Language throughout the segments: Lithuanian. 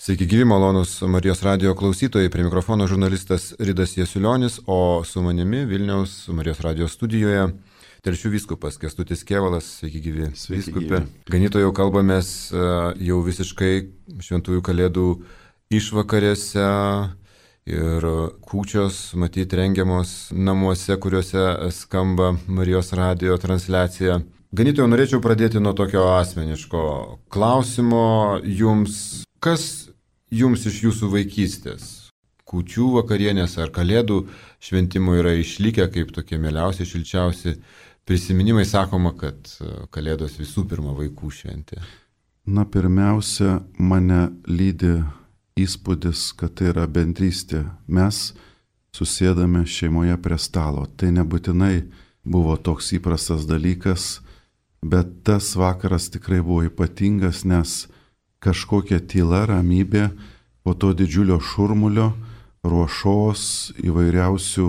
Sveiki gyvi, malonus Marijos radijo klausytojai, prie mikrofono žurnalistas Ridas Jasiulionis, o su manimi Vilniaus Marijos radijo studijoje Telšių vyskupas Kęstutis Kėvalas. Sveiki gyvi, vyskupė. Ganytojau kalbamės jau visiškai šventųjų kalėdų išvakarėse ir kūčios, matyt, rengiamos namuose, kuriuose skamba Marijos radijo transliacija. Ganytojau, norėčiau pradėti nuo tokio asmeniško klausimo jums. Kas jums iš jūsų vaikystės, kūčių vakarienės ar kalėdų šventimų yra išlikę kaip tokie mieliausi, šilčiausi prisiminimai? Sakoma, kad kalėdos visų pirma vaikų šventė. Na, pirmiausia, mane lydi įspūdis, kad tai yra bendrystė. Mes susėdame šeimoje prie stalo. Tai nebūtinai buvo toks įprastas dalykas, bet tas vakaras tikrai buvo ypatingas, nes kažkokia tyla, ramybė po to didžiulio šurmulio, ruošos, įvairiausių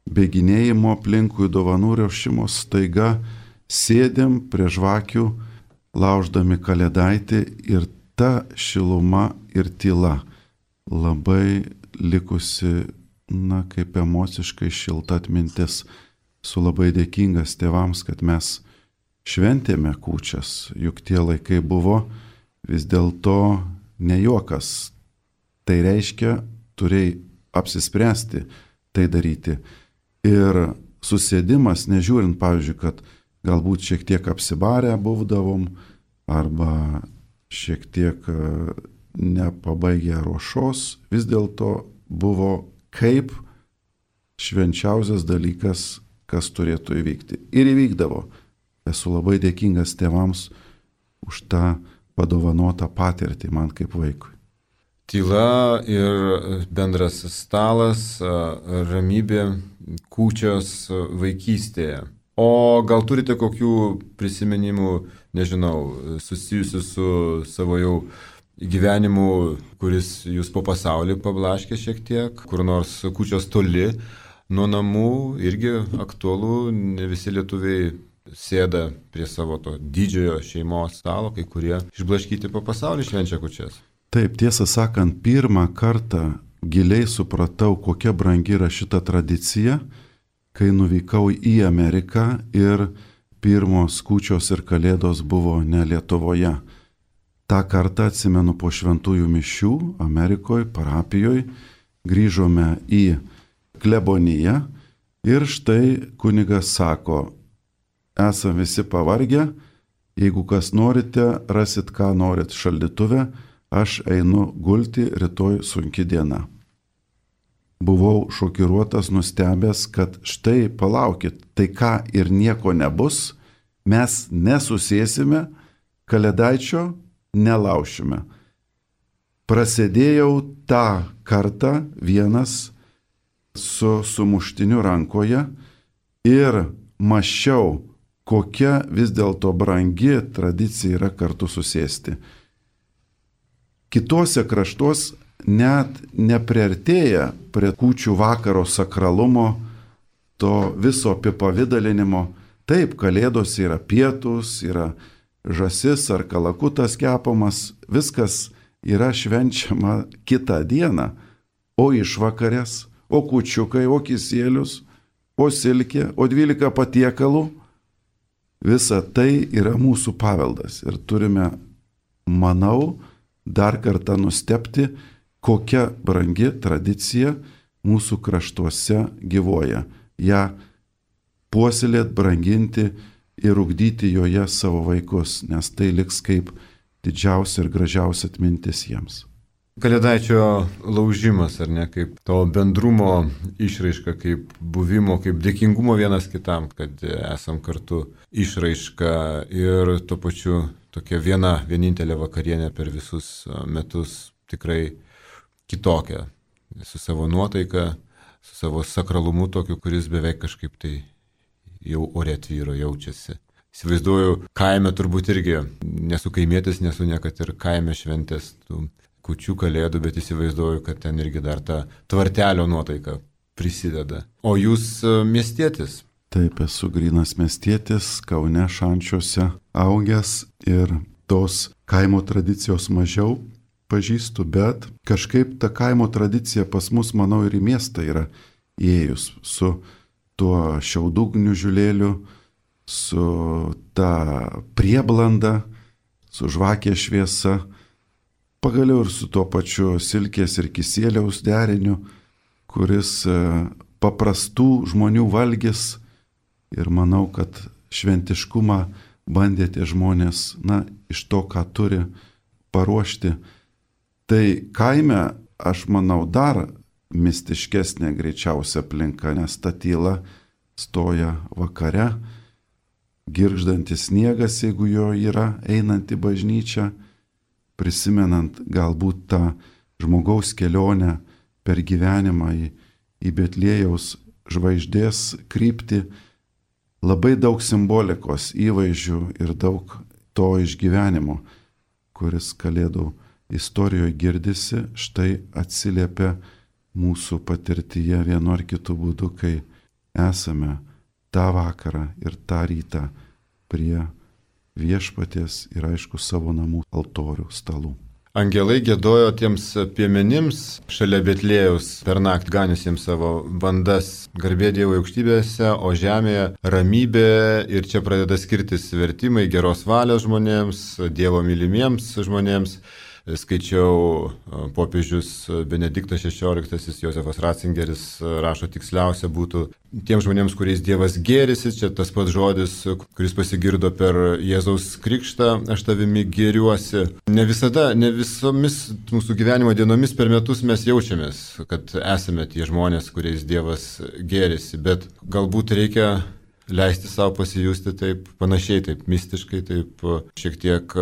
bėginėjimo aplinkui, dovanų ruošimo, staiga sėdėm prie žvakių, lauždami kalėdaitį, ir ta šiluma ir tyla labai likusi, kaip emociškai šilta atmintis. Esu labai dėkingas tėvams, kad mes šventėme kūčias, juk tie laikai buvo vis dėlto ne juokas. Tai reiškia, turėjai apsispręsti tai daryti. Ir susėdimas, nežiūrint, pavyzdžiui, kad galbūt šiek tiek apsibarę būdavom, arba šiek tiek nepabaigę ruošos, vis dėlto buvo kaip švenčiausias dalykas, kas turėtų įvykti. Ir įvykdavo. Esu labai dėkingas tėvams už tą padovanotą patirtį man kaip vaikui. Tyla ir bendras stalas, ramybė, kūčios vaikystėje. O gal turite kokių prisiminimų, nežinau, susijusių su savo jau gyvenimu, kuris jūs po pasaulį pablaškė šiek tiek, kur nors kūčios toli nuo namų, irgi aktualu, ne visi lietuviai sėda prie savo to didžiojo šeimos stalo, kai kurie išblaškyti po pasaulį švenčia kūčias. Taip, tiesą sakant, pirmą kartą giliai supratau, kokia brangi yra šita tradicija, kai nuvykau į Ameriką ir pirmos kūčios ir kalėdos buvo ne Lietuvoje. Ta kartą atsimenu po šventųjų mišių Amerikoje, parapijoje, grįžome į kleboniją ir štai kunigas sako: esam visi pavargę, jeigu kas norite, rasit ką norit šaldytuve, aš einu gulti, rytoj sunki diena. Buvau šokiruotas, nustebęs, kad štai palaukit, tai ką ir nieko nebus, mes nesusėsime, kalėdaičio nelaušime. Prasėdėjau tą kartą vienas su sumuštiniu rankoje ir mąsčiau, kokia vis dėlto brangi tradicija yra kartu susėsti. Kitose kraštuos net nepriartėja prie kūčių vakaro sakralumo, to viso apipavidalinimo. Taip, kalėdos yra pietus, yra žąsis ar kalakutas kepamas, viskas yra švenčiama kitą dieną, o išvakarės, o kūčiukai, o kisielius, o silkė, o 12 patiekalų. Visa tai yra mūsų paveldas ir turime, manau, dar kartą nustebti, kokia brangi tradicija mūsų kraštuose gyvuoja. Ja puoselėt, branginti ir ugdyti joje savo vaikus, nes tai liks kaip didžiausia ir gražiausia atmintis jiems. Kalėdaičio laužimas, ar ne, kaip to bendrumo išraiška, kaip buvimo, kaip dėkingumo vienas kitam, kad esam kartu išraiška, ir tuo pačiu tokia vienintelė vakarienė per visus metus, tikrai kitokia, su savo nuotaika, su savo sakralumu tokiu, kuris beveik kažkaip tai jau ore tvyro, jaučiasi. Įsivaizduoju, kaime turbūt irgi, nesu kaimietis, nesu niekad ir kaime šventės tų kūčių kalėdų, bet įsivaizduoju, kad ten irgi dar ta tvartelio nuotaika prisideda. O jūs miestietis? Taip, esu grynas miestietis, Kaune Šančiuose augęs ir tos kaimo tradicijos mažiau, pažįstu, bet kažkaip ta kaimo tradicija pas mus, manau, ir į miestą yra įėjus su tuo šiaudų gniužulėliu, su ta prieblanda, su žvakės šviesa, pagaliau ir su tuo pačiu silkės ir kisieliaus deriniu, kuris paprastų žmonių valgis, ir manau, kad šventiškumą bandė tie žmonės, iš to, ką turi, paruošti. Tai kaime, aš manau, dar mistiškesnė greičiausia aplinka, nes ta tyla stoja vakare, girgždantis sniegas, jeigu jo yra, einant į bažnyčią, prisimenant galbūt tą žmogaus kelionę per gyvenimą į Betliejaus žvaigždės kryptį, labai daug simbolikos, įvaizdžių ir daug to išgyvenimo, kuris Kalėdų istorijoje girdisi, štai atsiliepia mūsų patirtyje vienu ar kitu būdu, kai esame tą vakarą ir tą rytą prie viešpaties ir aišku savo namų altorių stalų. Angelai giedojo tiems piemenims šalia Betliejaus per naktį ganiusiems savo bandas, garbė Dievo aukštybėse, o žemėje ramybė, ir čia pradeda skirtis vertimai geros valios žmonėms, Dievo mylimiems žmonėms. Skaičiau, popiežius Benediktas XVI, Josefas Ratzingeris rašo, tiksliausia būtų tiems žmonėms, kuriais Dievas gėrisi, čia tas pats žodis, kuris pasigirdo per Jėzaus krikštą, aš tavimi gėriuosi. Ne visada, ne visomis mūsų gyvenimo dienomis per metus mes jaučiamės, kad esame tie žmonės, kuriais Dievas gėrisi, bet galbūt reikia leisti savo pasijusti taip panašiai, taip mistiškai, taip šiek tiek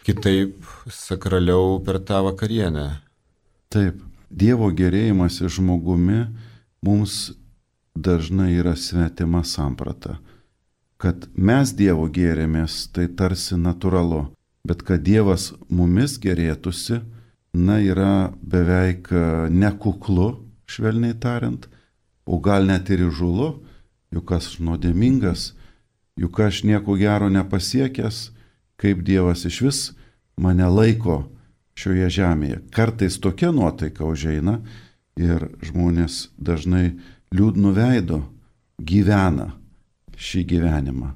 kitaip, sakraliau per tą vakarienę. Taip, Dievo gėrėjimasis žmogumi mums dažnai yra svetima samprata. Kad mes Dievo gėrėmės, tai tarsi natūralu, bet kad Dievas mumis gėrėtųsi, yra beveik nekuklu, švelniai tariant, o gal net ir įžūlu, juk aš nuodėmingas, juk aš nieko gero nepasiekęs, kaip Dievas iš vis mane laiko šioje žemėje. Kartais tokia nuotaika užeina ir žmonės dažnai liūdnu veidu gyvena šį gyvenimą,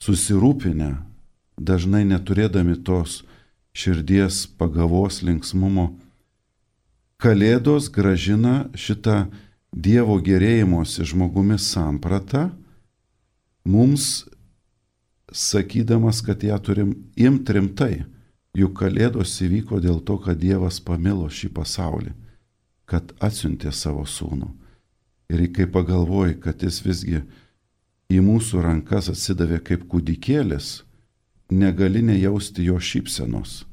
susirūpinę, dažnai neturėdami tos širdies pagavos linksmumo. Kalėdos gražina šitą Dievo gėrėjimosi žmogumi sampratą mums, sakydamas, kad ją turim imti rimtai, juk Kalėdos įvyko dėl to, kad Dievas pamilo šį pasaulį, kad atsiuntė savo sūnų. Ir kai pagalvoji, kad jis visgi į mūsų rankas atsidavė kaip kūdikėlis, negali nejausti jo šypsenos.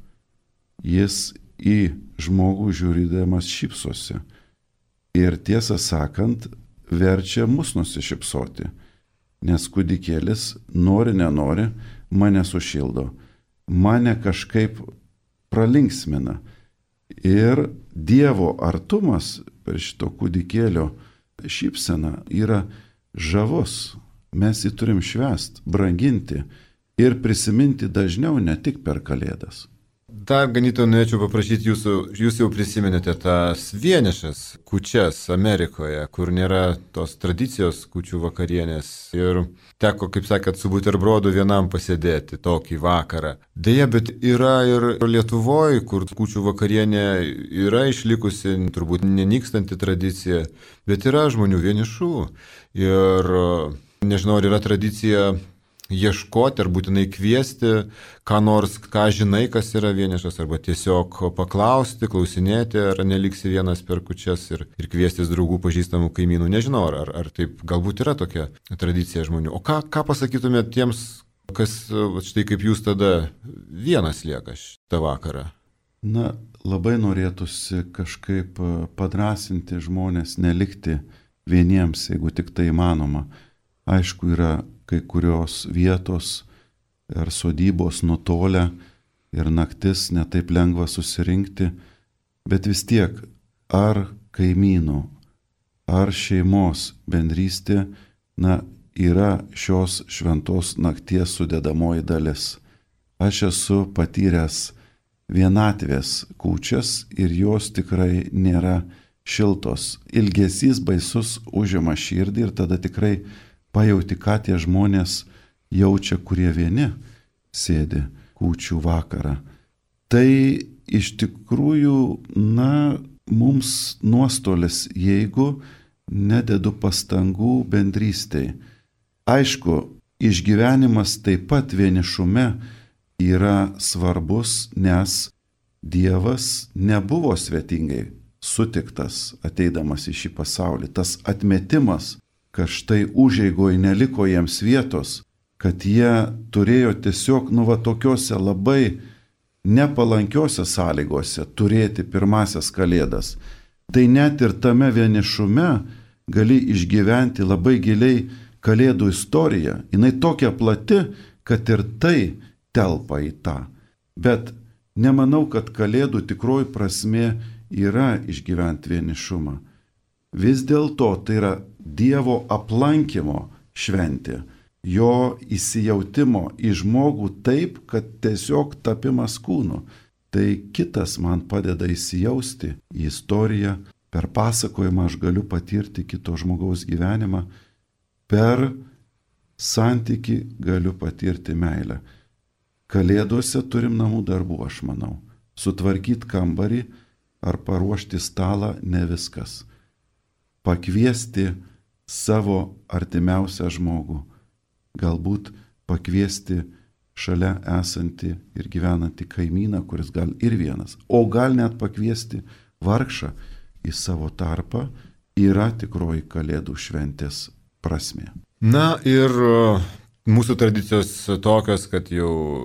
Jis į žmogų žiūrėdamas šypsosi ir tiesą sakant verčia mus nusišypsoti. Nes kūdikėlis, nori nenori, mane sušildo, mane kažkaip pralinksmina. Ir Dievo artumas per šito kūdikėlio šypseną yra žavus. Mes jį turim švęst, branginti ir prisiminti dažniau, ne tik per Kalėdas. Dar ganytojau norėčiau paprašyti jūsų, jūs jau prisimenėte tas vienišas kūčias Amerikoje, kur nėra tos tradicijos kūčių vakarienės ir teko, kaip sakėt, su buterbrodu vienam pasėdėti tokį vakarą. Deja, bet yra ir Lietuvoje, kur kūčių vakarienė yra išlikusi, turbūt nenykstanti tradicija, bet yra žmonių vienišų ir nežinau, ar yra tradicija ieškoti ar būtinai kviesti, ką nors, ką žinai, kas yra vienišas, arba tiesiog paklausti, klausinėti, ar neliksi vienas per kūčias ir kviestis draugų, pažįstamų, kaimynų. Nežinau, ar taip galbūt yra tokia tradicija žmonių. O ką pasakytumėte tiems, kas štai kaip jūs tada vienas lieka šitą vakarą? Labai norėtųsi kažkaip padrasinti žmonės nelikti vieniems, jeigu tik tai įmanoma. Aišku, yra kai kurios vietos ar sodybos nutolę ir naktis netaip lengva susirinkti, bet vis tiek ar kaimynų, ar šeimos bendrystė, yra šios šventos nakties sudedamoji dalis. Aš esu patyręs vienatvės kūčias ir jos tikrai nėra šiltos. Ilgesys baisus užima širdį ir tada tikrai pajauti, ką tie žmonės jaučia, kurie vieni sėdi kūčių vakarą. Tai iš tikrųjų, mums nuostolis, jeigu nededu pastangų bendrystėj. Aišku, išgyvenimas taip pat vienišume yra svarbus, nes Dievas nebuvo svetingai sutiktas ateidamas į šį pasaulį. Tas atmetimas, kad štai užeigoj neliko jiems vietos, kad jie turėjo tiesiog, tokiuose labai nepalankiose sąlygose turėti pirmasias kalėdas. Tai net ir tame vienišume gali išgyventi labai giliai kalėdų istoriją. Jinai tokia plati, kad ir tai telpa į tą. Bet nemanau, kad kalėdų tikroji prasmė yra išgyventi vienišumą. Vis dėlto tai yra Dievo aplankymo šventė. Jo įsijautimo į žmogų taip, kad tiesiog tapimas kūnu. Tai kitas man padeda įsijausti į istoriją. Per pasakojimą aš galiu patirti kito žmogaus gyvenimą. Per santykį galiu patirti meilę. Kalėdose turim namų darbų, aš manau. Sutvarkyti kambarį ar paruošti stalą ne viskas. Pakviesti savo artimiausią žmogų. Galbūt pakviesti šalia esantį ir gyvenantį kaimyną, kuris gal ir vienas. O gal net pakviesti vargšą į savo tarpą yra tikroji kalėdų šventės prasmė. Na ir mūsų tradicijos tokios, kad jau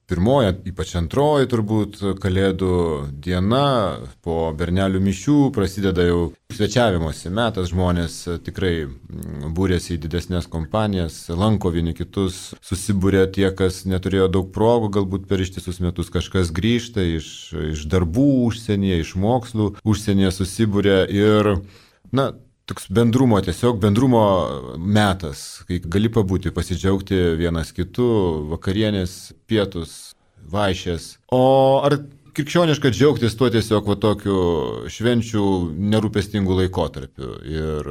pirmoji, ypač antroji turbūt kalėdų diena po bernelių mišių prasideda jau svečiavimosi metas, žmonės tikrai būrėsi į didesnės kompanijas, lanko vieni kitus, susibūrė tie, kas neturėjo daug progų, galbūt per ištisus metus kažkas grįžta iš darbų užsienyje, iš mokslų užsienyje susibūrė ir, toks bendrumo metas, kai gali pabūti, pasidžiaugti vienas kitu, vakarienės, pietus, vaišės. O ar krikščioniška džiaugtis tuo tiesiog tokiu švenčių nerūpestingų laikotarpiu ir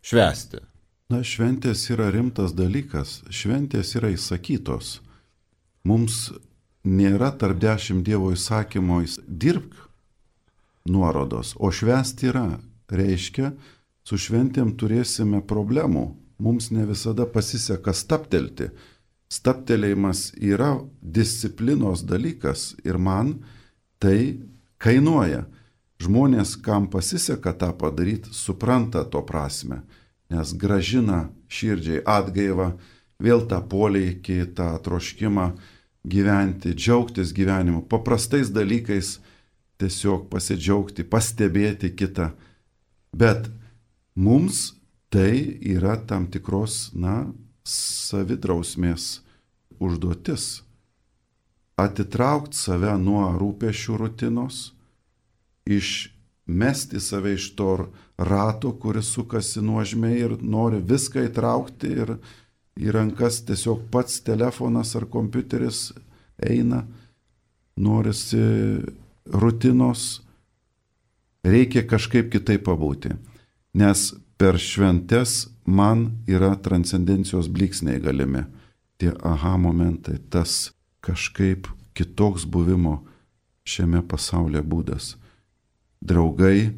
švęsti? Šventės yra rimtas dalykas, šventės yra įsakytos. Mums nėra tarp 10 Dievo įsakymo dirbk nuorodos, o švęsti yra, reiškia, su šventėm turėsime problemų. Mums ne visada pasiseka stabtelti. Stabtelėjimas yra disciplinos dalykas ir man tai kainuoja. Žmonės, kam pasiseka tą padaryti, supranta to prasme, nes gražina širdžiai atgaivą, vėl tą polėkį, tą troškimą gyventi, džiaugtis gyvenimu, paprastais dalykais tiesiog pasidžiaugti, pastebėti kitą. Bet mums tai yra tam tikros, savidrausmės užduotis. Atitraukti save nuo rūpesčių rutinos, išmesti save iš to rato, kuris sukasi nuožmiai ir nori viską įtraukti ir į rankas tiesiog pats telefonas ar kompiuteris eina, norisi rutinos, reikia kažkaip kitaip pabūti. Nes per šventes man yra transcendencijos blyksniai galimi. Tie aha momentai, tas kažkaip kitoks buvimo šiame pasaulyje būdas. Draugai,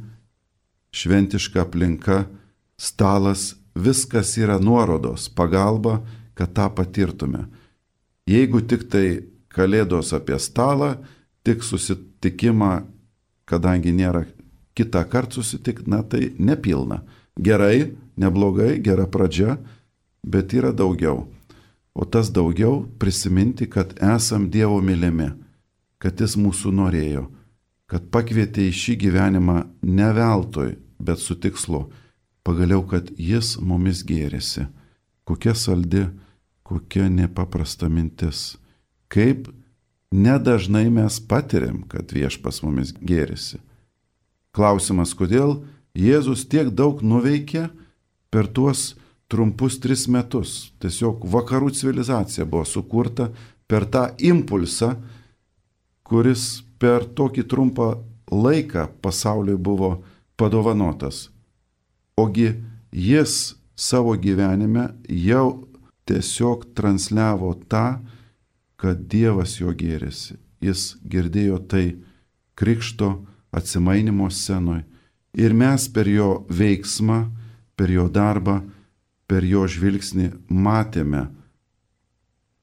šventiška aplinka, stalas, viskas yra nuorodos, pagalba, kad tą patirtume. Jeigu tik tai kalėdos apie stalą, tik susitikimą, kadangi nėra kitą kartą susitikti, tai nepilna. Gerai, neblogai, gera pradžia, bet yra daugiau. O tas daugiau prisiminti, kad esam Dievo mylimi, kad Jis mūsų norėjo, kad pakvietė į šį gyvenimą ne veltui, bet su tikslu, pagaliau, kad Jis mumis gėrėsi. Kokia saldi, kokia nepaprasta mintis. Kaip nedažnai mes patiriam, kad Viešpats mumis gėrėsi. Klausimas, kodėl Jėzus tiek daug nuveikė per tuos trumpus 3 metus. Tiesiog vakarų civilizacija buvo sukurta per tą impulsą, kuris per tokį trumpą laiką pasauliui buvo padovanotas. Ogi jis savo gyvenime jau tiesiog transliavo tą, kad Dievas jo gėrėsi. Jis girdėjo tai krikšto atsimainimo scenoje. Ir mes per jo veiksmą, per jo darbą, per jo žvilgsnį matėme,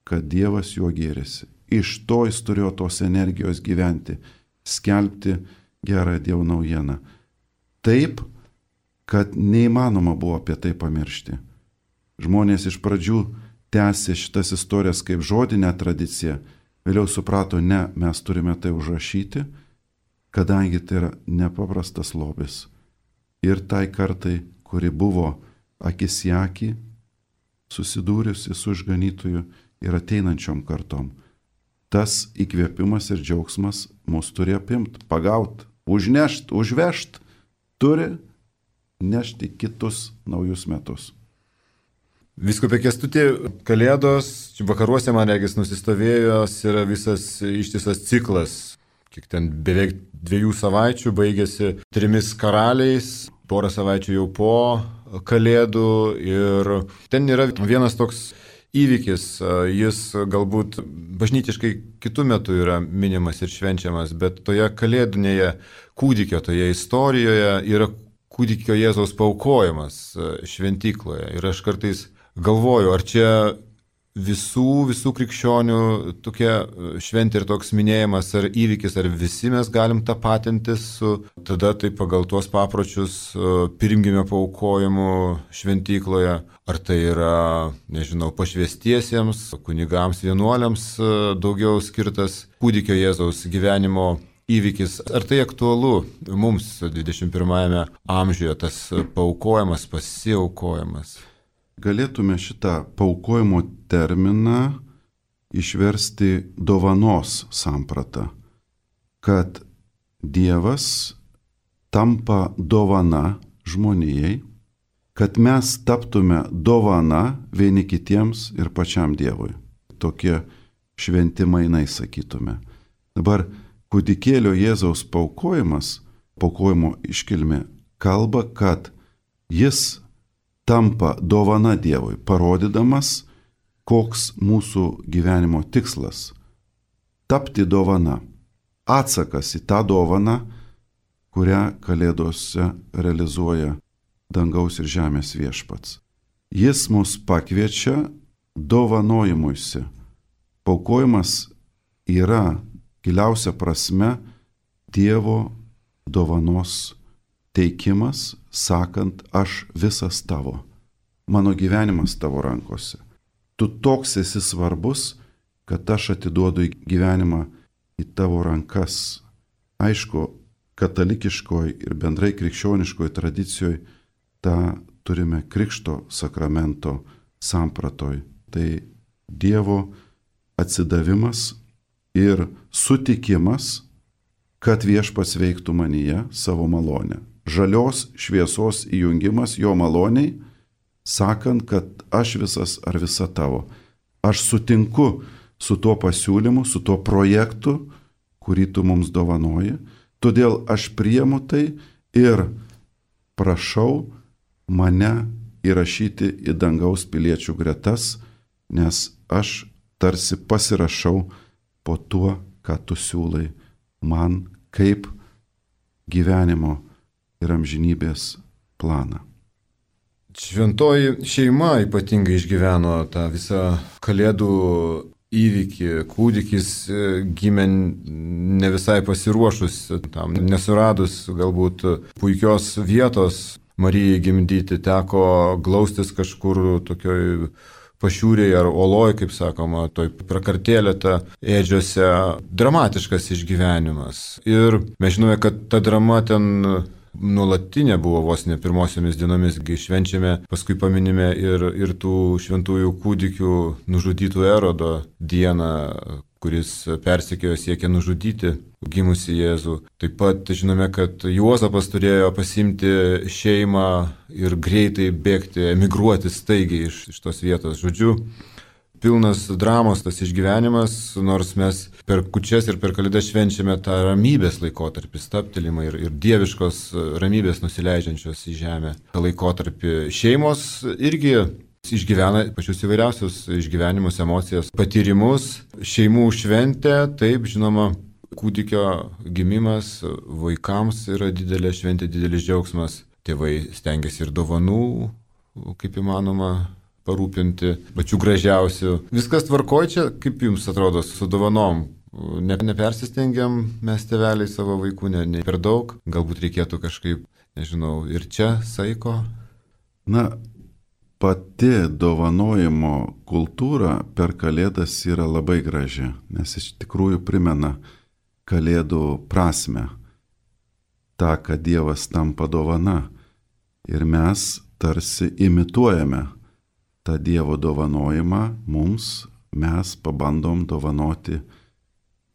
kad Dievas juo gėrėsi. Iš to jis turėjo tos energijos gyventi, skelbti gerą Dievo naujieną. Taip, kad neįmanoma buvo apie tai pamiršti. Žmonės iš pradžių tęsė šitas istorijas kaip žodinę tradiciją, vėliau suprato, ne, mes turime tai užrašyti, kadangi tai yra nepaprastas lobis. Ir tai kartai, kuri buvo akis į akį, susidūrusi su išganytoju ir ateinančiom kartom. Tas įkvėpimas ir džiaugsmas mus turi apimti, pagauti, užnešti, užvežti, turi nešti kitus naujus metus. Vyskupė Kęstuti, Kalėdos, vakaruose, man regis, nusistovėjęs yra visas ištisas ciklas. Kiek ten beveik 2 savaičių baigėsi 3 karaliais, porą savaičių jau po Kalėdų ir ten yra vienas toks įvykis, jis galbūt bažnytiškai kitų metų yra minimas ir švenčiamas, bet toje kalėdinėje kūdikio, toje istorijoje yra kūdikio Jėzaus paaukojimas šventykloje. Ir aš kartais galvoju, ar čia visų krikščionių tokia šventė ir toks minėjimas ar įvykis, ar visi mes galim tapatintis su tada tai pagal tuos papročius pirmgimio paaukojimu šventykloje, ar tai yra, nežinau, pašvęstiesiems, kunigams, vienuoliams daugiau skirtas kūdikio Jėzaus gyvenimo įvykis. Ar tai aktualu mums 21 amžiuje, tas paaukojimas, pasiaukojimas? Galėtume šitą paaukojimo terminą išversti dovanos sampratą, kad Dievas tampa dovana žmonijai, kad mes taptume dovana vieni kitiems ir pačiam Dievui. Tokie šventi mainai, sakytume. Dabar kūdikėlio Jėzaus paaukojimas, paaukojimo iškilmė, kalba, kad jis tampa dovana Dievui, parodydamas, koks mūsų gyvenimo tikslas - tapti dovana, atsakas į tą dovaną, kurią Kalėdose realizuoja dangaus ir žemės viešpats. Jis mus pakviečia dovanojimuisi. Paaukojimas yra giliausia prasme Dievo dovanos teikimas, sakant, aš visas tavo, mano gyvenimas tavo rankose. Tu toks esi svarbus, kad aš atiduodu gyvenimą į tavo rankas. Aišku, katalikiškoje ir bendrai krikščioniškoje tradicijoje tą turime krikšto sakramento sampratoj. Tai Dievo atsidavimas ir sutikimas, kad viešpats veiktų manyje savo malonę. Žalios šviesos įjungimas jo maloniai, sakant, kad aš visas ar visa tavo. Aš sutinku su tuo pasiūlymu, su tuo projektu, kurį tu mums dovanoji, todėl aš priimu tai ir prašau mane įrašyti į dangaus piliečių gretas, nes aš tarsi pasirašau po tuo, ką tu siūlai man kaip gyvenimo ir amžinybės planą. Šventoji šeima ypatingai išgyveno tą visą Kalėdų įvykį. Kūdikis gimė ne visai pasiruošus tam, nesuradus galbūt puikios vietos Marijai gimdyti, teko glaustis kažkur tokioj pašiūrėje ar oloj, kaip sakoma, toj prakartėlėta ėdžiose. Dramatiškas išgyvenimas. Ir mes žinome, kad ta drama ten nuolatinė buvo vos ne pirmosiomis dienomis, kai švenčiame, paskui paminime ir tų šventųjų kūdikių nužudytų Erodo dieną, kuris persekiojo siekė nužudyti gimusi Jėzų. Taip pat žinome, kad Juozapas turėjo pasimti šeimą ir greitai bėgti, emigruoti staigiai iš tos vietos. Žodžiu, pilnas dramos tas išgyvenimas, nors mes per kūčias ir per Kalėdas švenčiame tą ramybės laikotarpį, stabtelimą ir dieviškos ramybės nusileidžiančios į žemę. Ta laikotarpį šeimos irgi išgyvena pačius įvairiausius išgyvenimus, emocijas, patyrimus, šeimų šventė, taip, žinoma, kūdikio gimimas vaikams yra didelė šventė, didelis džiaugsmas. Tėvai stengiasi ir dovanų, kaip įmanoma, parūpinti, pačių gražiausių. Viskas tvarkoja čia, kaip jums atrodo, su dovanom? Nepersistengiam mes tėveliai savo vaikų, ne per daug. Galbūt reikėtų kažkaip, nežinau, ir čia saiko? Na, pati dovanojimo kultūra per Kalėdas yra labai graži, nes iš tikrųjų primena Kalėdų prasmę. Ta, kad Dievas tampa dovana ir mes tarsi imituojame tą Dievo dovanojimą, mes pabandom dovanoti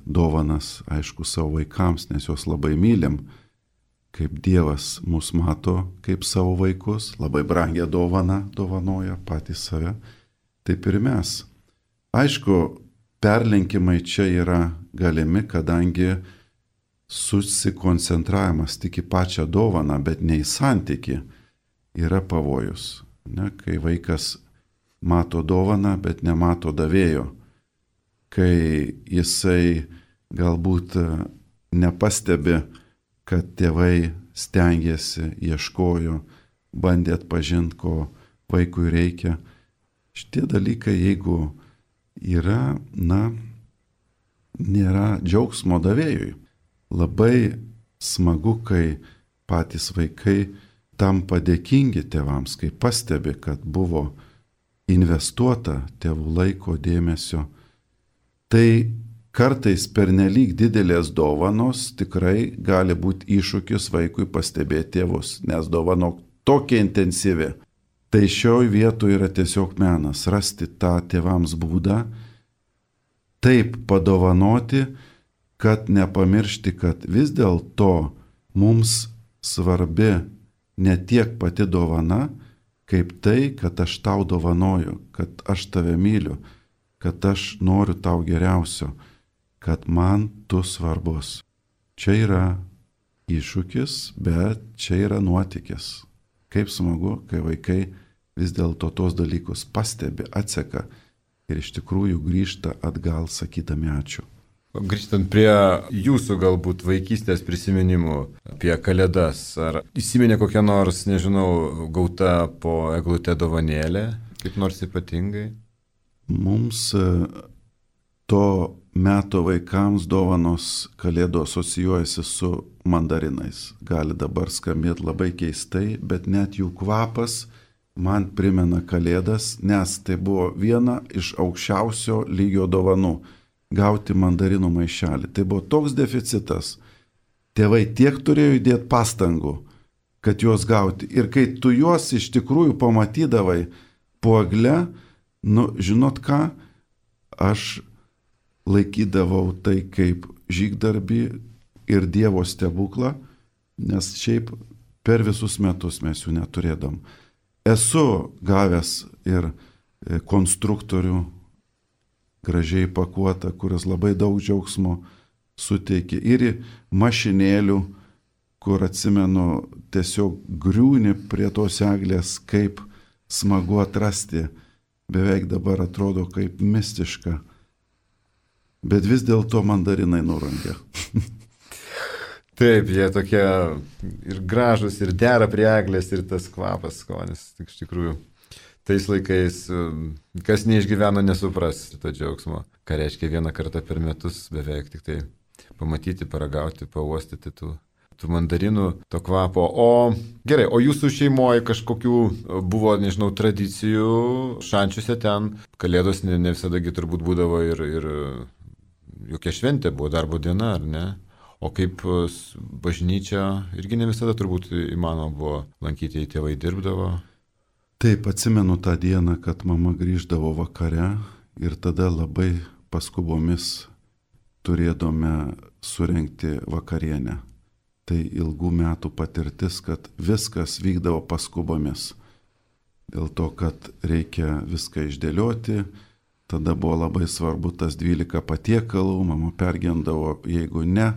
dovanas, aišku, savo vaikams, nes juos labai mylim, kaip Dievas mus mato kaip savo vaikus, labai brangią dovaną dovanoja patys save, taip ir mes. Aišku, perlenkimai čia yra galimi, kadangi susikoncentravimas tik į pačią dovaną, bet ne į santykį, yra pavojus. Ne? Kai vaikas mato dovaną, bet nemato davėjo, kai jisai galbūt nepastebi, kad tėvai stengiasi, ieškojo, bandė atpažinti, ko vaikui reikia. Šitie dalykai, jeigu yra, nėra džiaugsmo davėjui. Labai smagu, kai patys vaikai tampa dėkingi tėvams, kai pastebi, kad buvo investuota tėvų laiko, dėmesio. Tai kartais pernelyg didelės dovanos tikrai gali būti iššūkis vaikui pastebėti tėvus, nes dovana tokia intensyvi. Tai šioj vietoje yra tiesiog menas rasti tą tėvams būdą, taip padovanoti, kad nepamiršti, kad vis dėlto mums svarbi ne tiek pati dovana, kaip tai, kad aš tau dovanoju, kad aš tave myliu, kad aš noriu tau geriausio, kad man tu svarbus. Čia yra iššūkis, bet čia yra nuotykis. Kaip smagu, kai vaikai vis dėlto tos dalykus pastebi, atseka ir iš tikrųjų grįžta atgal sakydami ačiū. Grįžtant prie jūsų galbūt vaikystės prisiminimų apie Kalėdas, ar įsiminė kokia nors, nežinau, gauta po eglute dovanėlė, kaip nors ypatingai? Mums to meto vaikams dovanos Kalėdų asocijuojasi su mandarinais. Gali dabar skambėti labai keistai, bet net jų kvapas man primena Kalėdas, nes tai buvo viena iš aukščiausio lygio dovanų. Gauti mandarinų maišelį. Tai buvo toks deficitas. Tėvai tiek turėjo įdėti pastangų, kad juos gauti. Ir kai tu juos iš tikrųjų pamatydavai po egle, žinot ką, aš laikydavau tai kaip žygdarbį ir Dievo stebuklą, nes šiaip per visus metus mes jų neturėdom. Esu gavęs ir konstruktorių gražiai pakuota, kuris labai daug džiaugsmo suteikė. Ir mašinėlių, kur atsimenu, tiesiog griūni prie tos eglės, kaip smagu atrasti. Beveik dabar atrodo kaip mistiška. Bet vis dėlto mandarinai nurangia. Taip, jie tokie ir gražus, ir dera prie eglės, ir tas kvapas, skonis, tik iš tikrųjų. Tais laikais, kas neišgyveno, nesupras to džiaugsmo. Ką reiškia vieną kartą per metus beveik tik tai pamatyti, paragauti, pauostyti tų mandarinų, to kvapo. O gerai, o jūsų šeimoje kažkokių buvo, nežinau, tradicijų šančiuose ten? Kalėdos ne visadagi turbūt būdavo ir jokia šventė buvo, darbo diena, ar ne? O kaip bažnyčia irgi ne visada turbūt įmanoma buvo lankyti, jei tėvai dirbdavo. Taip, atsimenu tą dieną, kad mama grįždavo vakare ir tada labai paskubomis turėdome surengti vakarienę. Tai ilgų metų patirtis, kad viskas vykdavo paskubomis. Dėl to, kad reikia viską išdėlioti, tada buvo labai svarbu tas 12 patiekalų, mama pergendavo, jeigu ne,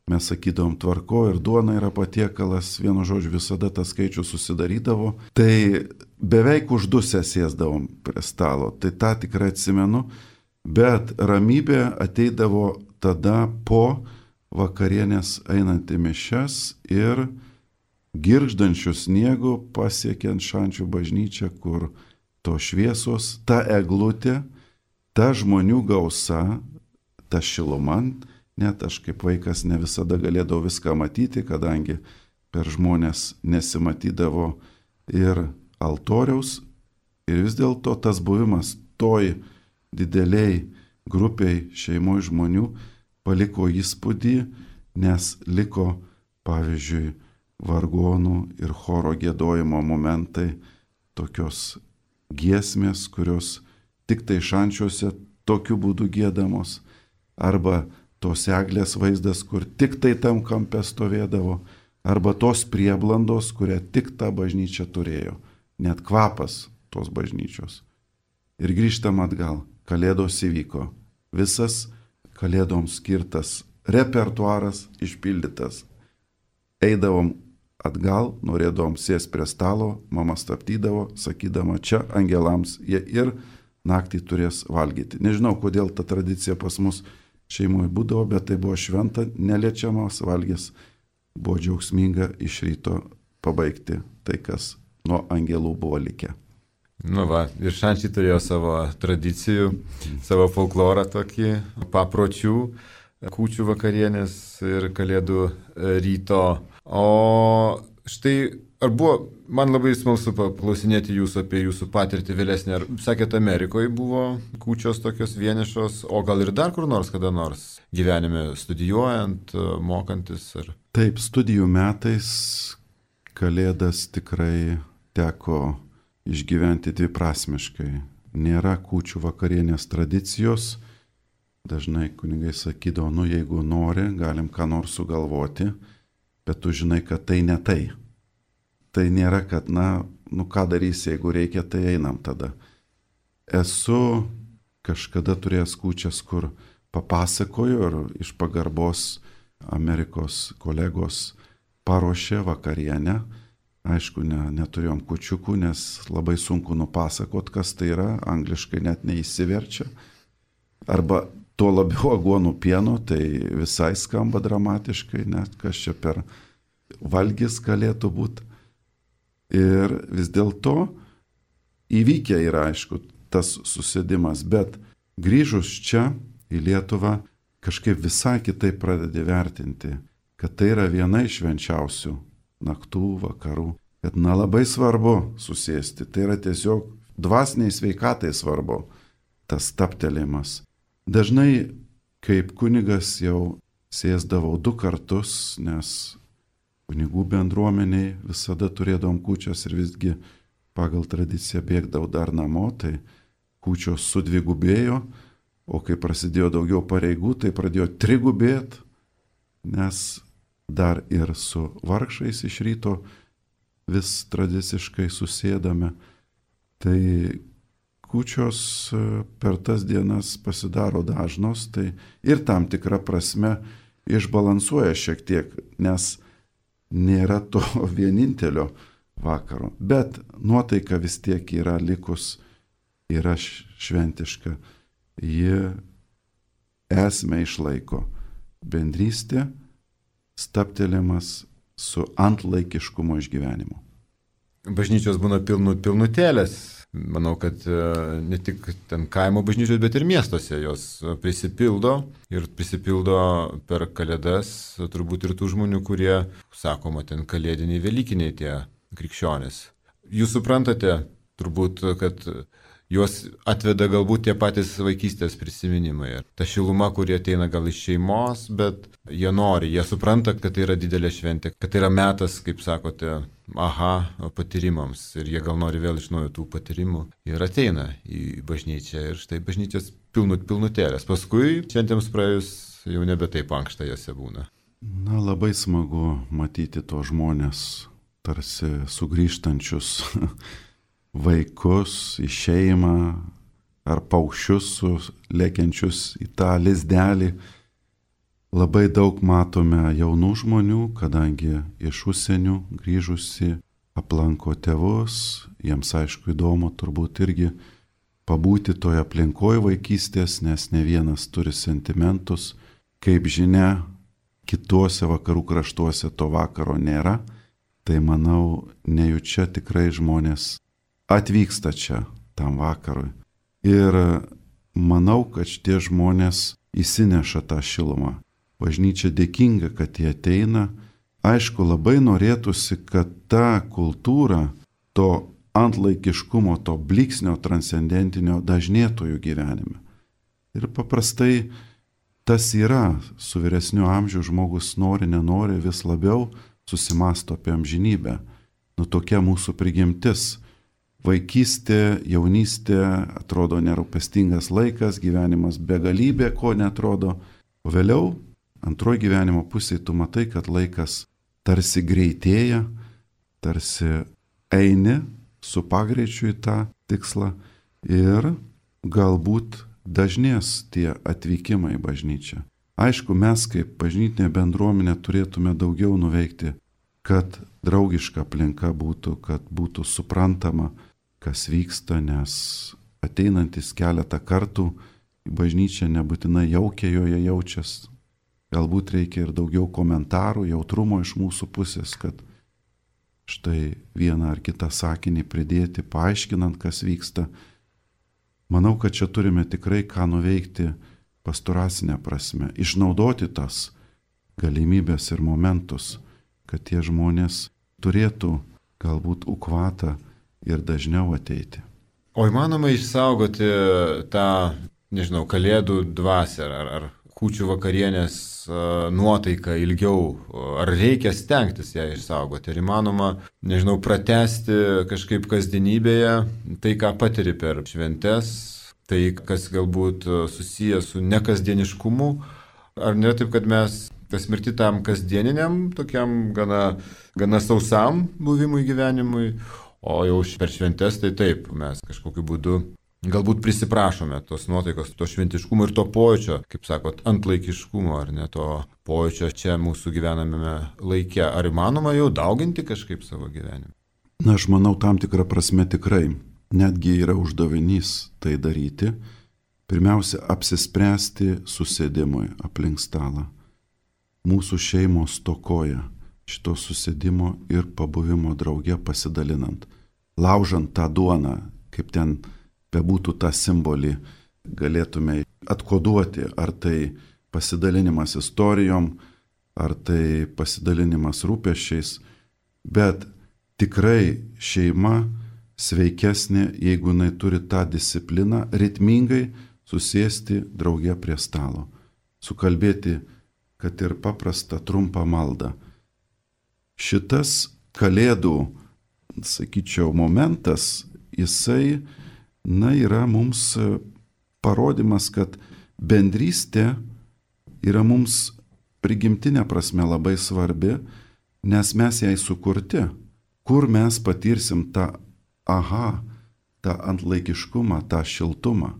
mes sakydavom tvarko ir duona yra patiekalas, vienu žodžiu visada tas skaičius susidarydavo, tai beveik uždusę sėsdavom prie stalo, tai tą tikrai atsimenu, bet ramybė ateidavo tada po vakarienės einant į mišias ir girgždančių sniegų pasiekiant Šančių bažnyčią, kur to šviesos, ta eglutė, ta žmonių gausa, ta šiluma, net aš kaip vaikas ne visada galėdavau viską matyti, kadangi per žmonės nesimatydavo ir altoriaus, ir vis dėlto tas buvimas toj dideliai grupiai šeimoje žmonių paliko įspūdį, nes liko, pavyzdžiui, vargonų ir choro giedojimo momentai, tokios giesmės, kurios tik tai Šančiuose tokiu būdu giedamos, arba tos eglės vaizdas, kur tik tai tam kampe stovėdavo, arba tos prieblandos, kurią tik ta bažnyčia turėjo, net kvapas tos bažnyčios. Ir grįžtam atgal, kalėdos įvyko, visas kalėdoms skirtas repertuaras išpildytas. Eidavom atgal, norėdavom sėsti prie stalo, mama stabdydavo, sakydama, čia angelams jie ir naktį turės valgyti. Nežinau, kodėl ta tradicija pas mus šeimoje būdavo, bet tai buvo šventa, neliečiamas valgys, buvo džiaugsminga iš ryto pabaigti tai, kas nuo angelų buvo likę. Nu va, ir Šančiai turėjo savo tradicijų, savo folklorą tokį, papročių, kūčių vakarienės ir kalėdų ryto. O štai, ar buvo, man labai smalsu paklausinėti jūsų apie jūsų patirtį vėlesnį, ar sakėte, Amerikoje buvo kūčios tokios vienišos, o gal ir dar kur nors, kada nors gyvenime studijuojant, mokantis? Ar... Taip, studijų metais kalėdas tikrai teko išgyventi dviprasmiškai. Nėra kūčių vakarienės tradicijos. Dažnai kunigai sakydavo, nu jeigu nori, galim ką nors sugalvoti, bet tu žinai, kad tai ne tai. Tai nėra, kad, nu ką darysi, jeigu reikia, tai einam tada. Esu kažkada turėjęs kūčias, kur papasakoju ir iš pagarbos Amerikos kolegos paruošė vakarienę. Aišku, neturėjom kūčiukų, nes labai sunku nupasakot, kas tai yra, angliškai net neįsiverčia. Arba tuo labiau aguonų pieno, tai visai skamba dramatiškai, net kas čia per valgis galėtų būti. Ir vis dėlto įvykę yra, aišku, tas susėdimas, bet grįžus čia į Lietuvą kažkaip visai kitaip pradedi vertinti, kad tai yra viena iš švenčiausių naktų, vakarų, kad labai svarbu susėsti, tai yra tiesiog dvasiniai sveikatai svarbu tas stabtelėjimas. Dažnai kaip kunigas jau sėsdavau 2 kartus, nes kunigų bendruomeniai visada turėdavom kūčias ir visgi pagal tradiciją bėgdavau dar namo, tai kūčios sudvigubėjo, o kai prasidėjo daugiau pareigų, tai pradėjo trigubėti, nes dar ir su vargšais iš ryto vis tradiciškai susėdame. Tai kūčios per tas dienas pasidaro dažnos, tai ir tam tikrą prasme išbalansuoja šiek tiek, nes nėra to vienintelio vakaro. Bet nuotaika vis tiek yra likus, yra šventiška. Ji esmę išlaiko. Bendrystė, stabtelėjimas su antlaikiškumo išgyvenimu. Bažnyčios būna pilnutėlės. Manau, kad ne tik ten kaimo bažnyčios, bet ir miestuose jos prisipildo ir prisipildo per kalėdas, turbūt ir tų žmonių, kurie, sakoma, ten kalėdiniai, velykiniai tie krikščionys. Jūs suprantate turbūt, kad juos atveda galbūt tie patys vaikystės prisiminimai. Ta šiluma, kurie ateina gal iš šeimos, bet jie nori, jie supranta, kad tai yra didelė šventė, kad tai yra metas, kaip sakote, patyrimams. Ir jie gal nori vėl iš naujo tų patyrimų. Ir ateina į bažnyčią ir štai bažnyčios pilnutėlės. Paskui šventėms praėjus jau nebe taip ankšta jose būna. Labai smagu matyti to žmonės tarsi sugrįžtančius vaikus į šeimą, ar paukščius lėkiančius į tą lizdelį. Labai daug matome jaunų žmonių, kadangi iš užsienių grįžusi aplanko tėvus, jiems aišku įdomu turbūt irgi pabūti toje aplinkoje vaikystės, nes ne vienas turi sentimentus. Kaip žinia, kituose vakarų kraštuose to vakaro nėra, tai manau, nejučia tikrai žmonės atvyksta čia tam vakarui. Ir manau, kad šitie žmonės įsineša tą šilumą. Bažnyčia dėkinga, kad jie ateina. Aišku, labai norėtųsi, kad ta kultūra, to antlaikiškumo, to blyksnio transcendentinio dažnėtų jų gyvenime. Ir paprastai tas yra, su vyresniu amžiu žmogus nori, nenori, vis labiau susimasto apie amžinybę. Tokia mūsų prigimtis. Vaikystė, jaunystė atrodo nerūpestingas laikas, gyvenimas begalybė, ko netrodo. O vėliau, antroji gyvenimo pusėje, tu matai, kad laikas tarsi greitėja, tarsi eini su pagreičiu į tą tikslą ir galbūt dažnės tie atvykimai į bažnyčią. Aišku, mes kaip bažnytinė bendruomenė turėtume daugiau nuveikti, kad draugiška aplinka būtų, kad būtų suprantama, kas vyksta, nes ateinantis keletą kartų į bažnyčią nebūtinai jaukiai joje jaučiasi. Galbūt reikia ir daugiau komentarų, jautrumo iš mūsų pusės, kad štai vieną ar kitą sakinį pridėti, paaiškinant, kas vyksta. Manau, kad čia turime tikrai ką nuveikti pastoracinę prasme, išnaudoti tas galimybės ir momentus, kad tie žmonės turėtų galbūt ukvatą ir dažniau ateiti. O įmanoma išsaugoti tą, nežinau, kalėdų dvasią ar kūčių vakarienės nuotaiką ilgiau, ar reikia stengtis ją išsaugoti, ar įmanoma, nežinau, pratęsti kažkaip kasdienybėje tai, ką patiri per šventes, tai, kas galbūt susijęs su nekasdieniškumu, ar nėra taip, kad mes pasmirti tam kasdieniniam, tokiam gana sausam buvimui gyvenimui, o jau per šventes tai taip, mes kažkokiu būdu galbūt prisiprašome tos nuotaikos, to šventiškumo ir to pojūčio, kaip sakot, antlaikiškumo, ar ne to pojūčio čia mūsų gyvename laike. Ar įmanoma jau dauginti kažkaip savo gyvenimą? Na, aš manau, tam tikrą prasme tikrai. Netgi yra uždavinys tai daryti. Pirmiausia, apsispręsti susėdimui aplink stalą. Mūsų šeimos stokoja šito susėdimo ir pabuvimo drauge pasidalinant. Laužant tą duoną, kaip ten bebūtų tą simbolį, galėtume atkoduoti, ar tai pasidalinimas istorijom, ar tai pasidalinimas rūpesčiais, bet tikrai šeima sveikesnė, jeigu jinai turi tą discipliną, ritmingai susėsti drauge prie stalo, sukalbėti, kad ir paprastą trumpą maldą. Šitas kalėdų, sakyčiau, momentas, jisai yra mums parodymas, kad bendrystė yra mums prigimtinė prasme labai svarbi, nes mes jai sukurti. Kur mes patirsim tą tą antlaikiškumą, tą šiltumą.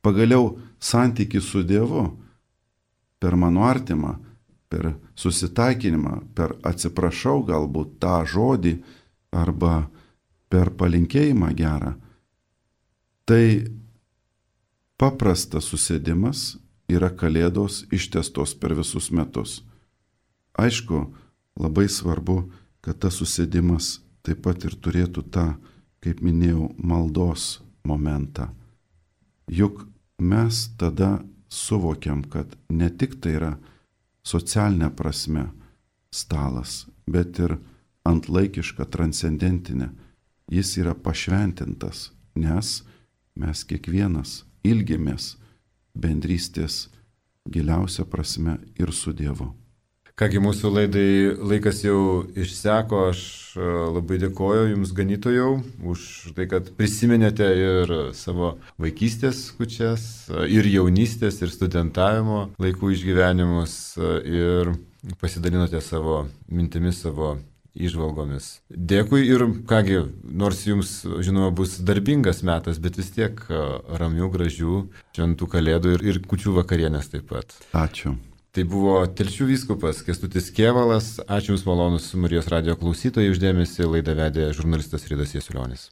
Pagaliau santykį su Dievu per mano artimą, per susitaikinimą, per atsiprašau galbūt tą žodį arba per palinkėjimą gerą. Tai paprastas susėdimas yra kalėdos ištęstos per visus metus. Aišku, labai svarbu, kad tas susėdimas taip pat ir turėtų tą, kaip minėjau, maldos momentą. Juk mes tada suvokiam, kad ne tik tai yra socialinė prasme stalas, bet ir antlaikiška, transcendentinė. Jis yra pašventintas, nes mes kiekvienas ilgimės bendrystės giliausia prasme ir su Dievu. Kągi, mūsų laidai laikas jau išseko, aš labai dėkoju Jums, ganytojau, už tai, kad prisiminėte ir savo vaikystės kūčias, ir jaunystės, ir studentavimo laikų išgyvenimus, ir pasidalinote savo mintimis, savo įžvalgomis. Dėkui ir kągi, nors jums, žinoma, bus darbingas metas, bet vis tiek ramių, gražių, šventų kalėdų ir kūčių vakarienės taip pat. Ačiū. Tai buvo Telšių vyskupas Kęstutis Kėvalas. Ačiū Jums malonus Marijos radijo klausytojai uždėmesi. Laidą vedė žurnalistas Ridas Jasiulionis.